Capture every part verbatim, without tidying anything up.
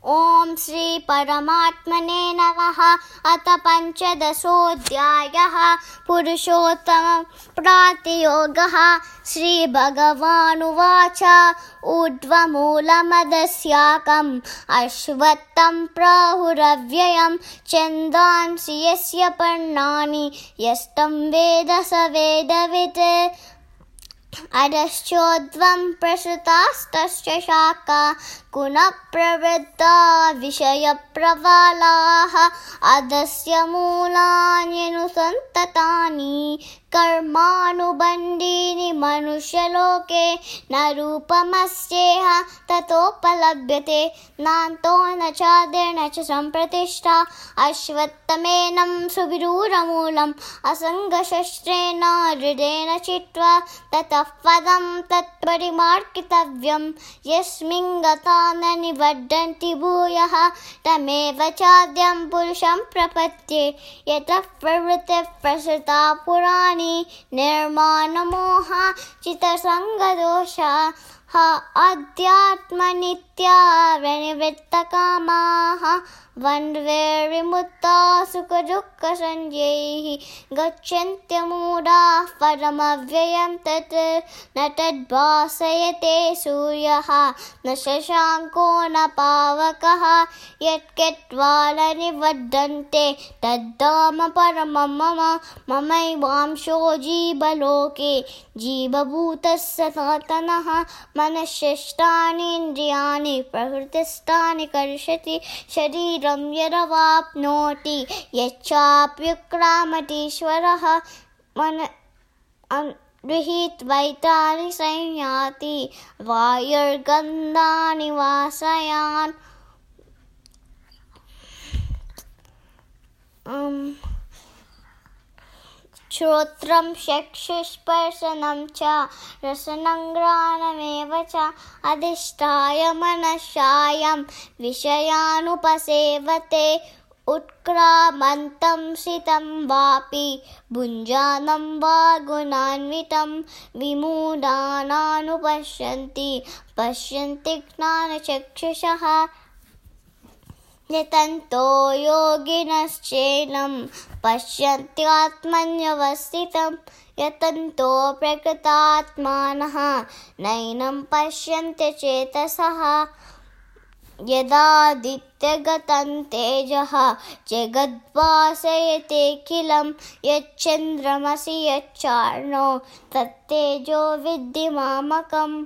ॐ श्री परमात्मने नमः। अथ पञ्चदशोऽध्यायः। पुरुषोत्तम प्रातियोगः। श्रीभगवानुवाच ऊर्ध्वमूलमदस्याकम् अश्वत्थं प्राहुरव्ययं छन्दांसि यस्य पर्णानि यस्तं वेद स वेदवित्। अधश्चोर्ध्वं प्रसृतास्तस्य शाखा गुणः प्रवृद्धा विषयप्रबलाः। अधस्य मूलान्यनुसन्ततानि कर्मानुबन्धीनि मनुष्यलोके न रूपमस्येह ततोपलभ्यते नान्तो न चादिर्न च सम्प्रतिष्ठा। अश्वत्थमेनं सुविरूढमूलम् असङ्गशस्त्रेण दृढेन चित्वा ततः पदं तत्परिमार्गितव्यं यस्मिन् गता न निबध्यन्ति भूयः तमेव चाद्यं पुरुषं प्रपद्ये। यतः प्रवृत्तिः प्रसृता पुराणी निर्माणमोहा चित्तसङ्गदोषाः अध्यात्मनित्या विनिवृत्तकामाः द्वन्द्वैर्विमुक्ता सुखदुःखसंज्ञैः गच्छन्त्यमूढाः परमव्ययं तत् न तद्भासयते सूर्यः न शशाङ्को न पावकः यत्कृत्वा न निबध्यन्ते तद्धाम परमं मम। ममैवांशो जीवलोके जीवभूतः सनातनः मनश्चेष्टानि इन्द्रियाणि प्रकृतिस्थानि करिष्यति शरीरं यदवाप्नोति यच्चाप्युत्क्रामतीश्वरः मन गृहीत्वैतानि संयाति वायुर्गन्धानि वासयान्। श्रोत्रं चक्षुस्पर्शनं च रसनं घ्राणमेव च अधिष्ठाय मनश्चायं विषयानुपसेवते। उत्क्रामन्तं सितं वापि भुञ्जानं वा गुणान्वितं विमूढानानुपश्यन्ति पश्यन्ति ज्ञानचक्षुषः। यतन्तो योगिनश्चैनं पश्यन्त्यात्मन्यवस्थितं यतन्तो प्रकृतात्मानः नैनं पश्यन्ति चेतसः। यदादित्यगतं तेजः जगद्भासयतेऽखिलं यच्चन्द्रमसि यच्चार्णो तत्तेजो विद्धि मामकम्।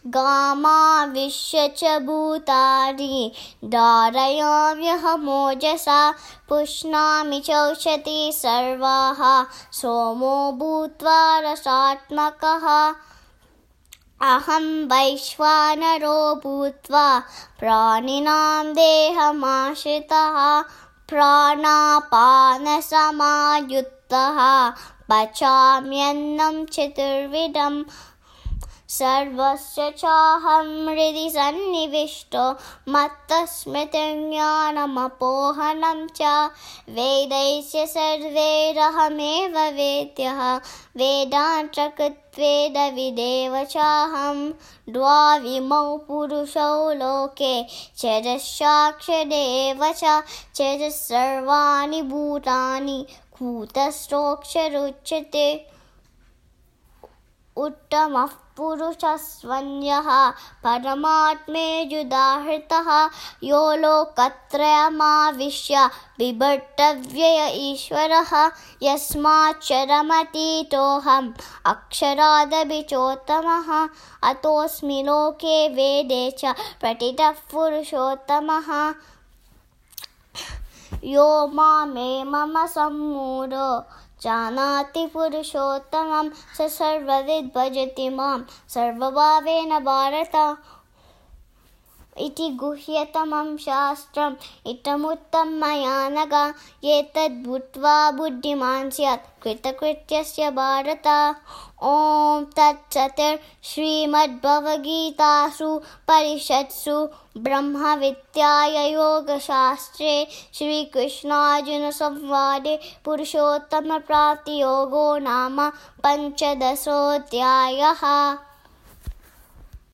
गामाविश्य च भूतानि धारयाम्यहमोजसा पुष्णामि चौषधी सर्वाः सोमो भूत्वा रसात्मकः। अहं वैश्वानरो भूत्वा प्राणिनां देहमाश्रितः प्राणापानसमायुक्तः पचाम्यन्नं चतुर्विधम्। सर्वस्य चाहं हृदि सन्निविष्टो मत्तस्मृतिर्ज्ञानमपोहनं च वेदैश्च सर्वैरहमेव वेद्यः वेदान्तकृत्वेदविदेव चाहं। द्वाविमौ पुरुषौ लोके चरसाक्षरेव च चरसर्वाणि भूतानि कूटस्थोऽक्षरोच्यते। उत्तमः पुरुषस्त्वन्यः परमात्मेत्युदाहृतः यो लोकत्रयमाविश्य बिभर्त्यव्यय ईश्वरः यस्माच्चरमतीतोऽहम् अक्षरादपि चोत्तमः। अतोऽस्मि लोके वेदे च प्रतितः पुरुषोत्तमः। यो मामे मम सम्मूढो जानाति पुरुषोत्तमं स सर्वविद् भजति मां सर्वभावेन भारत। इति गुह्यतमं शास्त्रम् इदमुक्तं मया नघ एतद्भूत्वा बुद्धिमान् स्यात् कृतकृत्यस्य भारत। ॐ तत्सत्। श्रीमद्भगवद्गीतासु उपनिषत्सु ब्रह्मविद्यायां योगशास्त्रे श्रीकृष्णार्जुनसंवादे पुरुषोत्तमप्राप्तियोगो नाम पञ्चदशोऽध्यायः।